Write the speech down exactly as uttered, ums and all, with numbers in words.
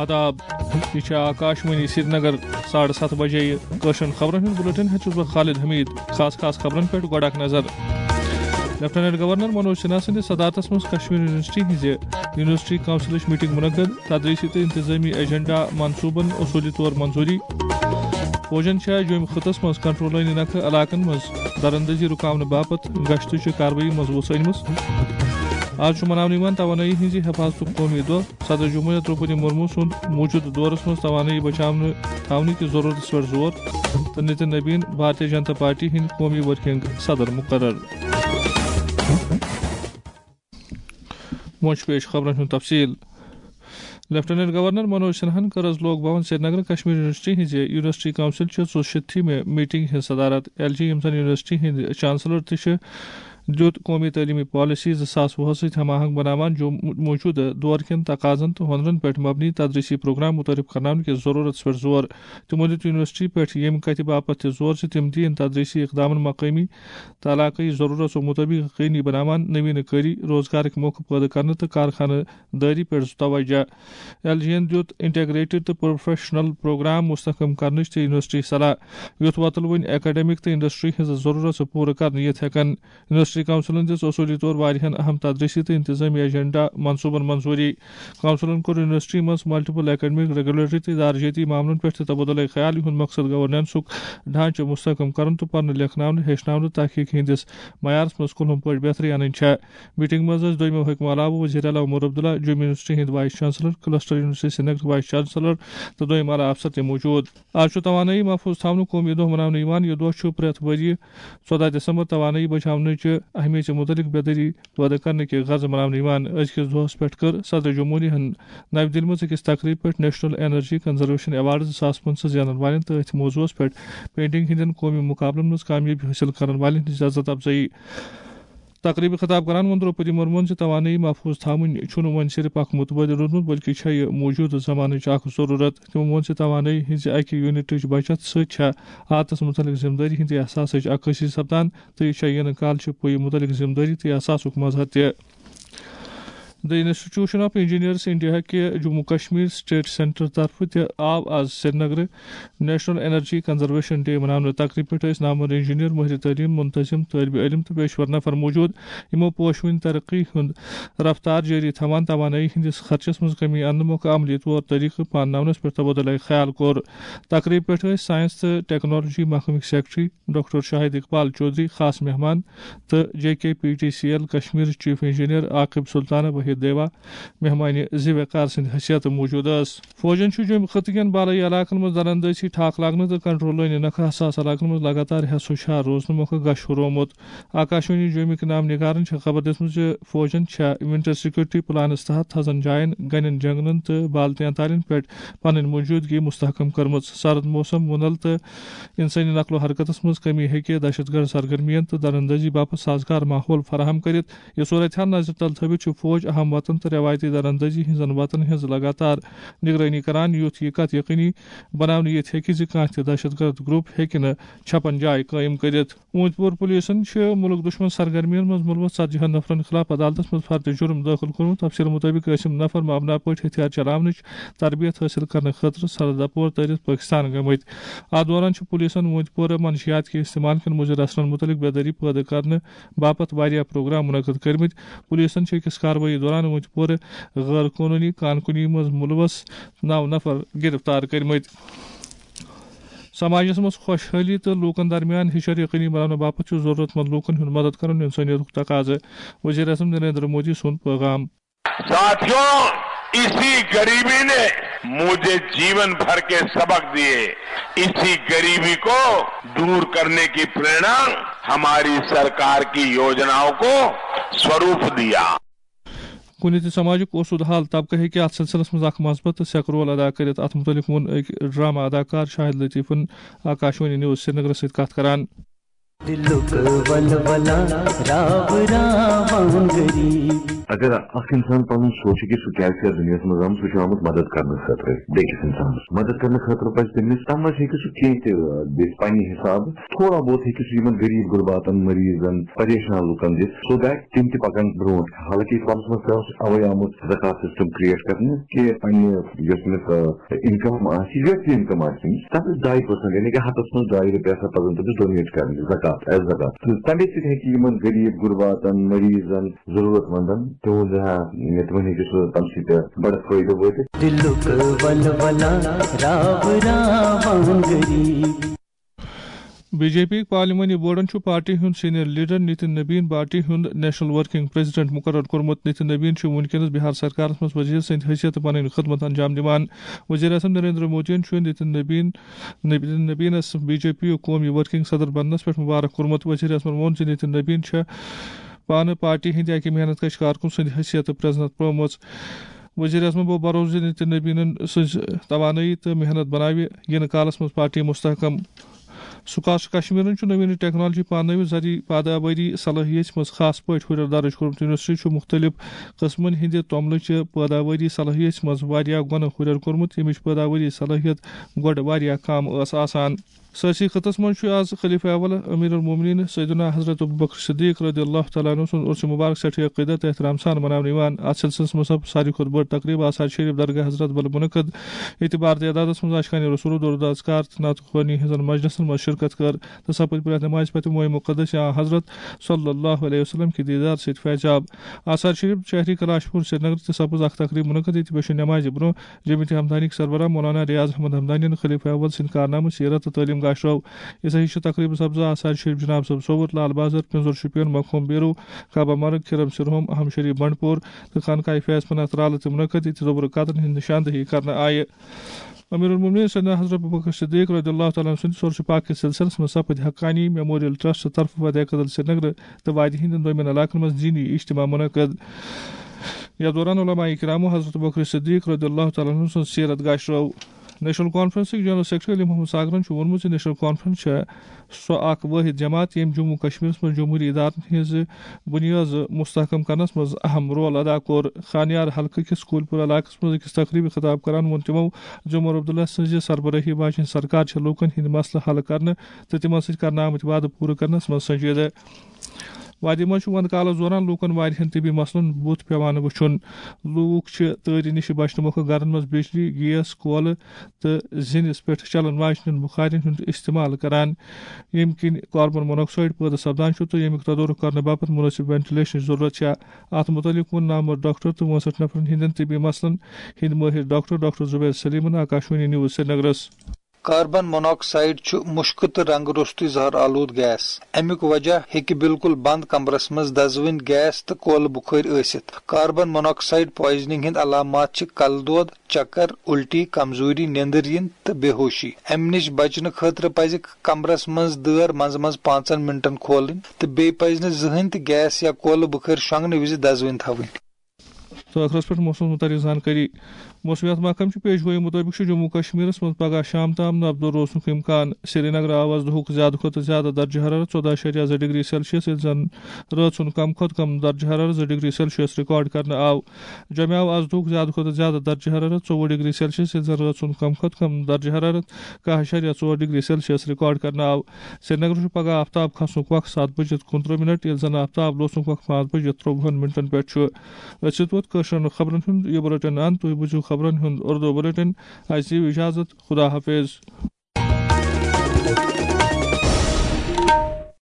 آداب، یہِ چھِ آکاشوانی سرینگر۔ ساڑٕ ستھ بجے یہِ کٲشرٮ۪ن خبرن ہُنٛد بُلٹن ہیٚتھ چھُس بہٕ خالد حمید۔ خاص خاص خبرن پٮ۪ٹھ گۄڈٕ اکھ نظر۔ لیفٹیننٹ گورنر منوج سنہا سٕنٛدِس صدارتس منٛز کشمیر یونیورسٹی ہٕنٛزِ یونیورسٹی کونسلٕچ میٹنگ منعقد، تدریسی تہٕ انتظامی ایجنڈا منصوبن اصوٗلی طور منظوٗری۔ فوجن چھےٚ جوٚمۍ خٕطس منٛز کنٹرول لٲنہِ نکھٕ علاقن منٛز دراندازی رُکاونہٕ باپتھ گشتٕچہِ کاروٲیی منٛز وُژھ أنمٕژ۔ آز چھُ مناونہٕ یِوان توانٲیی ہٕنٛزِ حفاظتُک قومی دۄہ۔ صدر جمہوریہ درٛوپدی مرمو سُنٛد موٗجوٗدٕ دورس منٛز توانٲیی بچاونہٕ تھاونہٕ کِس ضروٗرتس پٮ۪ٹھ زور تہٕ نِتِن نبیٖن بھارتیہ جنتا پارٹی ہٕنٛدۍ قومی ورکنگ صدر مُقرر۔ وۄنۍ چھُ پیش خبرن ہُنٛد تفصیل۔ لیفٹیننٹ گورنر منوج سنہاہن کٔر از لوک بھون سرینگر کشمیر یونیورسٹی ہٕنٛزِ یونیورسٹی کونسل چہِ ژُشیٖتھمہِ میٹنگ ہٕنٛز صدارت۔ ایل جی، یِم زن یونیورسٹی ہٕنٛدۍ چانسلر تہِ چھِ، دیُت قومی تعلیمی پالیسی زٕ ساس وُہس سۭتۍ ہم آہنگ بناوان جو موجودٕ دور کٮ۪ن تقاضن تہٕ ہُنرن پٮ۪ٹھ مبنی تدریسی پروگرام متعارف کرناونہٕ کِس ضرورتس پٮ۪ٹھ زور۔ تِمو دیُت یونیورسٹی پٮ۪ٹھ ییٚمہِ کتھِ باپتھ تہِ زور زِ تِم دِیِن تدریسی اقدامن مقٲمی تہٕ علاقٲیی ضروٗرژو مُطٲبِق یقینی بناوان نوینہٕ کٲری، روزگارٕکۍ موقعہٕ پٲدٕ کرنہٕ تہٕ کارخانہٕ دٲری پٮ۪ٹھ توجہ۔ ایل جی یَن دیُت انٹیگریٹڈ تہٕ پروفیشنل پروگرام مستحکم کرنٕچ تہٕ یونیورسٹی صلاح، یُتھ وۄتلوٕنۍ اکیڈمک تہٕ انڈسٹری ہٕنٛز ضروٗرژٕ پوٗرٕ کرنہٕ یِتھ ہٮ۪کن۔ یونیورسٹی کونسلن دِژ اصوٗلی طور واریاہن اہم تدریسی تہٕ انتظامی ایجنڈا منصوٗبن منظوٗری۔ کونسلن کوٚر یونیورسٹی منٛز ملٹیپل اکیڈمک، ریگولیٹری تہٕ ادارجٲتی معاملن پٮ۪ٹھ تہِ تبادلہ خیال، یِہُنٛد مقصد گورننسُک ڈھانچہٕ مستحکم کرُن تہٕ پرنہٕ لیکھناونہٕ، ہیٚچھناونہٕ، تحقیق ہٕنٛدِس معیارس منٛز کُلہُم پٲٹھۍ بہتری انٕنۍ چھےٚ۔ میٹنگ منٛز ٲسۍ دوٚیمٮ۪و حکمو علاوٕ وزیر اعلیٰ عمر عبداللہ، جوٚم یونیورسٹی ہٕنٛدۍ vice chancellor, cluster university سرینگرٕکۍ vice chancellor تہٕ دوٚیِم اعلیٰ افسر تہِ موجود۔ آز چھُ توانٲیی محفوظ تھاونُک قومی دۄہ مناونہٕ یِوان۔ یہِ دۄہ چھُ پرٛٮ۪تھ ؤرۍ یہِ ژۄدہ دسمبر توانٲیی بچاونٕچہِ اہمیتہِ مُتعلق بیدٲری پٲدٕ کرنہٕ کہِ غرضہٕ مناونہٕ یِوان۔ أزکِس دۄہس پٮ۪ٹھ کٔر صدر جمہوریہ ہن نَوِ دِلہِ منٛز أکِس تقریٖبہِ پٮ۪ٹھ نیشنل انرجی کنزرویشن ایوارڈ زٕ ساس پٕنٛژٕہ زینن والٮ۪ن تہٕ أتھۍ موضوعس پٮ۪ٹھ پینٹنگ ہٕنٛدٮ۪ن قومی مُقابلن منٛز کامیٲبی حٲصِل کرن والٮ۪ن ہٕنٛز عزت افزٲیی۔ تقریٖبہِ خطاب کران ووٚن درٛوپدی مرموہن زِ توانٲیی محفوظ تھاوٕنۍ چھُنہٕ وۄنۍ صرف اکھ مُتبٲدِل روٗدمُت، بلکہِ چھےٚ یہِ موٗجوٗدٕ زمانٕچ اکھ ضروٗرت۔ تِمو ووٚن زِ توانٲیی ہٕنٛزِ اکہِ یونٹٕچ بچت سۭتۍ چھےٚ عادتس مُتعلق ذمہٕ دٲری ہٕنٛدِ احساسٕچ عکٲسی سپدان، تہٕ یہِ چھےٚ یِنہٕ کالچہِ پُیہِ مُتعلق ذمہٕ دٲری تہٕ احساسُک مظہر تہِ۔ The Institution of Engineers India کہِ جموں کشمیر سٹیٹ سینٹر طرفہٕ تہِ آو آز سرینگرٕ نیشنل انرجی کنزرویشن ڈے مناونہٕ۔ تقریبہِ پٮ۪ٹھ ٲسۍ نامور انجینئر، مٲہرِ تعلیٖم، منتظم، طٲلبہِ علم تہٕ پیشور نفر موجود، یِمو پوشوٕنۍ ترقی ہُنٛد رفتار جٲری تھاوان توانٲیی ہٕنٛدِس خرچس منٛز کمی اننہٕ مۄکھٕ عملی طور طریقہٕ پانناونس پٮ۪ٹھ تبادلہ خیال کوٚر۔ تقریبہِ پٮ۪ٹھ ٲسۍ ساینس تہٕ ٹیکنالوجی محکمٕکۍ سیکرٹری ڈاکٹر شاہد اقبال چودھری خاص مہمان تہٕ J K P T C L Kashmir chief engineer Aqib Sultana Waheed دیوا مہمانہِ ذی وقار سٕنٛدِ حیثیتہٕ موجود ٲس۔ فوجن چھُ جوٚمہِ خطہٕ کٮ۪ن بالٲیی علاقن منٛز دراندٲزی ٹھاکھ لاگنہٕ تہٕ کنٹرول لٲنہِ نکھٕ حساس علاقن منٛز لگاتار ہٮ۪س و شار روزنہٕ مۄکھٕ گش ہُرومُت۔ آکاشوانی جوٚمِکۍ نام نگارن چھےٚ خبر دِژمٕژ زِ فوجن چھےٚ ونٹر سیکورٹی پلانس تحت تھزن جاین، گنٮ۪ن جنگلن تہٕ بالتین تالین پٮ۪ٹھ پنٕنۍ موجودگی مستحکم کٔرمٕژ۔ سرد موسم، وُنل تہٕ انسٲنی نقل و حرکتس منٛز کمی ہیٚکہِ دہشت گرد سرگرمین تہٕ دراندازی باپتھ سازگار ماحول فراہم کٔرِتھ۔ یہِ صورتحال نظرِ تل تھٲوِتھ چھُ فوج اہم وطن تہٕ رٮ۪وایتی دراندازی ہٕنٛزن وطن ہٕنٛز لگاتار نگرٲنی کران، یُتھ یہِ کتھ یقینی بناونہٕ یِتھ ہیٚکہِ زِ کانٛہہ تہِ دہشت گرد گروپ ہیٚکہِ نہٕ چھپن جاے قٲیِم کٔرِتھ۔ اوٗنتۍ پور پُلیٖسن چھِ مُلک دُشمن سرگرمین منٛز مُلوث ژتجی ہن نفرن خلاف عدالتس منٛز فرد جُرم دٲخل کوٚرمُت۔ تفصیٖل مُطٲبِق ٲسۍ یِم نفر مبنا پٲٹھۍ ہتھیار چلاونٕچ تربیت حٲصِل کرنہٕ خٲطرٕ سرحد اپور تٔرِتھ پٲکستان گٔمٕتۍ۔ اتھ دوران چھِ پُلیٖسن اوٗنتۍ پورٕ منشیات کہِ استعمال کٮ۪ن مُضِر اثرن مُتعلق بیدٲری پٲدٕ کرنہٕ باپتھ واریاہ پروگرام منعقد کٔرمٕتۍ۔ پُلیٖسن چھِ أکِس کاروٲیی دوران اوٗنتۍ پورٕ غٲر قونوٗنی کان کُنی منٛز مُلوث نو نفر گرفتار کٔرمٕتۍ۔ سماجس منٛز خۄشحٲلی تہٕ لوٗکن درمیان ہِشر یقینی بناونہٕ باپتھ چھُ ضروٗرت مند لوٗکن ہُنٛد مدد کرُن انسٲنیتُک تقاضہٕ۔ وزیر اعظم نریندر مودی سُنٛد پیغام۔ ساتھیوں، اسی غریبی نے مجھے जीवन भर के सबक दिए। इसी गरीबी को दूर करने की प्रेरणा हमारी सरकार की योजनाओं को स्वरूप दिया। کُنہِ تہِ سماجُک اوسُد حال طبقہٕ ہیٚکہِ اتھ سلسلس منٛز اکھ مثبت تہٕ سیٚکہٕ رول ادا کٔرِتھ۔ اتھ مُتعلق ووٚن أکۍ ڈرامہ اداکار شاہد لطیفن آکاشوانی نیوز سرینگرس سۭتۍ کتھ کران۔ دِلُک ولولہ راو راوان غریب۔ اگر اکھ انسان پنُن سوچہِ کہِ سُہ کیازِ چھُ یتھ دُنیاہس منٛز آمُت، سُہ چھُ آمُت مدد کرنہٕ خٲطرٕ بیٚکِس انسانس۔ مدد کرنہٕ خٲطرٕ پزِ تٔمِس، تتھ منٛز ہیٚکہِ سُہ کینٛہہ تہِ، آ، دِتھ پننہِ حسابہٕ۔ تھوڑا بہت ہیٚکہِ سُہ یِمن غریب غرباتن، مریضن، پریشان لُکن دِتھ، so that تِم تہِ پکن برونٛٹھ۔ حالانکہ اسلامس منٛز تہِ اوس اوے آمُت زکات سسٹم کریٹ کرنہٕ کہِ پننہِ یۄس تٔمِس، آ، انکم آسہِ، یۄس تہِ انکم آسہِ تٔمِس، تتھ ٲسۍ ڈاے پٔرسنٹ، یعنی کہِ ہتس منٛز ڈاے رۄپیہِ آسان پزان تٔمِس ڈونیٹ کرنہِ، زکات، ایز زکات۔ تہٕ تمے سۭتۍ ہیٚکہِ یِمن غریب غرباتن، مریضن، ضرورت مندن تِہُنٛد، آ، تِمن ہیٚکہِ سُہ تمہِ سۭتۍ بڑٕ فٲیدٕ وٲتِتھ۔ دِلُک ولولہ راو راوان غریب۔ بی جے پی پارلیمانی بورڈن چھُ پارٹی ہُنٛد سینئر لیڈر نتن نبین پارٹی ہُنٛد نیشنل ورکنگ پریزیڈنٹ مقرر کوٚرمُت۔ نتن نبین چھُ وُنکیٚنَس بِہار سرکارَس منٛز وزیر سٕنٛدِ حیثیتہٕ پنٕنۍ خدمت انجام دِوان۔ وزیر اعظم نریندر مودیَن چھُ نتن نبین، نتن نبینَس بی جے پی یُک قومی ورکنگ صدر بننَس پٮ۪ٹھ مبارک کوٚرمُت۔ وزیر اعظمَن ووٚن زِ نتن نبین چھےٚ پانہٕ پارٹی ہٕنٛدِ اَکہِ محنت کش کارکُن سٕنٛدِ حیثیتہٕ پرزنت پرٛٲومٕژ۔ وزیر اعظمن بوٚو بھروسہٕ زِ نتن نبینن سٕنٛز توانٲیی تہٕ محنت بناوِ یِنہٕ کالس منٛز پارٹی مستحکم۔ سکاش کشمیرن چھُ نوین ٹیکنالوجی پانٲوِتھ زرعی پٲداوٲری صلٲحیت منٛز خاص پٲٹھۍ ہُرٮ۪ر درٕج کوٚرمُت۔ یونیورسٹی چھُ مُختٔلِف قٕسمن ہٕنٛدِ توٚملہٕ چہِ پٲداوٲری صلٲحیت منٛز واریاہ گۄنہٕ ہُرٮ۪ر کوٚرمُت، ییٚمِچ پٲداوٲری صلٲحیت گۄڈٕ واریاہ کم ٲس آسان۔ سٲرسٕے خطس منٛز چھُ آز خلیفہ اول امیر المومنین سیدنا حضرت ابوبکر صدیق رضی اللہ تعالیٰ عنہ سُنٛد عرس مبارک سٮ۪ٹھاہ عقیدت تہٕ احترام سان مناونہٕ یِوان۔ اتھ سلسلس منٛز سپُد ساروی کھۄتہٕ بٔڑ تقریب آثار شریف درگاہ حضرت بل منعقد۔ ییٚتہِ بھارتی عدادس منٛز اشکان رسول، درود اذکار تہٕ نعت خوانی ہٕنٛزن مجلسن منٛز شرکت کٔر تہٕ سپٕدۍ پرٛٮ۪تھ نمازِ پتہٕ مویہِ مقدس یا حضرت صلی اللہ علیہ وسلم کہِ دیدار سۭتۍ فیضاب۔ آثار شریف شہری کلاش پور سرینگر تہِ سپٕز اکھ تقریب منعقد، ییٚتہِ پیشن نمازِ برونٛہہ جمعیت ہمدانیک سربراہ مولانا ریاض احمد ہمدانین خلیفہ اول سٕنٛدِ کارنامہٕ سیرت تہٕ تعلیٖم گاشرو۔ یِتھے ہِش چھِ تقریبہِ سبزہ آثار شریف جناب صٲب صووُر، لال بازر، پِنزُر شُپین، مخوم بیرو، کعبہ مرگ، کھِرم سرہوم، احم شریف بنڈپور تہٕ خانقاہ فیض پناہ ترالہٕ تہِ منعقد، ییٚتہِ زوبرٕ قطرن ہٕنٛز نشاندہی کرنہٕ آیہِ۔ امیر المومنین سیدنا حضرت ابوبکر صدیق رضی اللہ تعالیٰ عنہ سٕنٛدِ سورس پاک کِس سلسلس منٛز سپٕدۍ حقانی میموریل ٹرسٹ طرفہٕ وتہِ قدل سرینگرٕ تہٕ وادی ہٕنٛدٮ۪ن دوٚیمٮ۪ن علاقن منٛز دینی اجتماع منعقد۔ یتھ دوران علماء کرامو حضرت ابوبکر صدیق رضی اللہ تعالیٰ عنہ سٕنٛز سیرت گاشرٲو۔ نیشنل کانفرنسٕکۍ جنرل سیکرٹری علی محمد ساگرن چھُ ووٚنمُت زِ نیشنل کانفرنس چھےٚ سۄ اکھ وٲحد جماعت، ییٚمۍ جموں کشمیرس منٛز جمہوری ادارن ہٕنٛز بنیٲد مستحکم کرنس منٛز اہم رول ادا کوٚر۔ خانیار حلقہٕ کِس کوٗلپور علاقس منٛز أکِس تقریبہِ خطاب کران ووٚن تِمو زِ عمر عبداللہ سٕنٛزِ سربرٲہی واجیٚنۍ سرکار چھےٚ لوٗکن ہٕنٛدۍ مسلہٕ حل کرنہٕ تہٕ تِمن سۭتۍ کرنہٕ آمٕتۍ وعدٕ پوٗرٕ کرنس منٛز سنجیدٕ۔ وادی منٛز چھُ وندٕ کالس دوران لوٗکن واریاہن طبی مسلن بُتھ پٮ۪وان وُچھُن۔ لوٗکھ چھِ تۭرِ نِش بچنہٕ مۄکھٕ گرن منٛز بجلی، گیس، کولہٕ تہٕ زِنِس پٮ۪ٹھ چلن واجنٮ۪ن بُخارٮ۪ن ہُنٛد استعمال کران، ییٚمہِ کِنۍ کاربن موناکسائیڈ پٲدٕ سپدان چھُ تہٕ ییٚمیُک تدورُک کرنہٕ باپتھ مناسب وینٹیلیشنٕچ ضروٗرت چھےٚ۔ اتھ مُتعلق ووٚن نامور ڈاکٹر تہٕ وُنسٹھ نفرن ہٕنٛدٮ۪ن طبی مسلن ہٕنٛدۍ مٲہِر ڈاکٹر، ڈاکٹر زبیر سلیمن آکاشوانی نیوز سرینگرس۔ کاربن موناکسائیڈ چھُ مُشکہٕ تہٕ رنٛگہٕ روٚستُے زہر آلود گیس۔ اَمیُک وجہ ہیٚکہِ بالکل بنٛد کمرس منٛز دزوٕنۍ گیس تہٕ کولہٕ بُخٲرۍ ٲسِتھ۔ کاربن موناکسائیڈ پوائزننگ ہٕنٛدۍ علامات چھِ کلہٕ دود، چکر، الٹی، کمزوری، نیندٕر یِنۍ تہٕ بے ہوشی۔ اَمہِ نِش بچنہٕ خٲطرٕ پزِ کمرس منٛز دٲر منٛزٕ منٛزٕ پانٛژن منٹن کھولٕنۍ تہٕ بیٚیہِ پزِ نہٕ زٕہٕنۍ تہِ گیس یا کولہٕ بُخٲرۍ شۄنٛگنہٕ وِزِ دزوٕنۍ تھاوٕنۍ۔ تہٕ ٲخرس پٮ۪ٹھ موسمس مُتعلق زانکٲری۔ موسمیات محکمہٕ چہِ پیش گویی مُطٲبِق چھُ جموں کشمیرس منٛز پگہہ شام تام نبدو روزنُک امکان۔ سرینگر آو آز دُہُک زیادٕ کھۄتہٕ زیادٕ درجہ حرارت ژۄداہ اَشاریہ زٕ ڈگری سیلسیس، ییٚلہِ زن رٲژ ہُنٛد کم کھۄتہٕ کم درجہ حرارت زٕ ڈگری سیلسیس ریکارڈ کرنہٕ آو۔ جوٚمہِ آو آز دُہُک زیادٕ کھۄتہٕ زیادٕ درجہ حرارت ژوٚوُہ ڈگری سیلسیس، ییٚلہِ زن رٲژ ہُنٛد کم کھۄتہٕ کم درجہ حرارت کاہ اَشاریہ ژور ڈگری سیلسیس ریکارڈ کرنہٕ آو۔ سرینگرٕ چھُ پگہہ آفتاب کھسنُک وق ستھ بجِتھ کُنترٕہ منٹ، ییٚلہِ زن آفتاب لوسنُک وق پانٛژھ بجِتھ ترٛۆوُہن منٹن پٮ۪ٹھ چھُ۔ أسۍ ووت کٲشرٮ۪ن خبرن ہُنٛد یہِ بُلٹن اند۔ تُہۍ بوٗزِو خبرن ہُنٛد اردو بُلٹن۔ اَسہِ دِیِو اجازت۔ خدا حافظ۔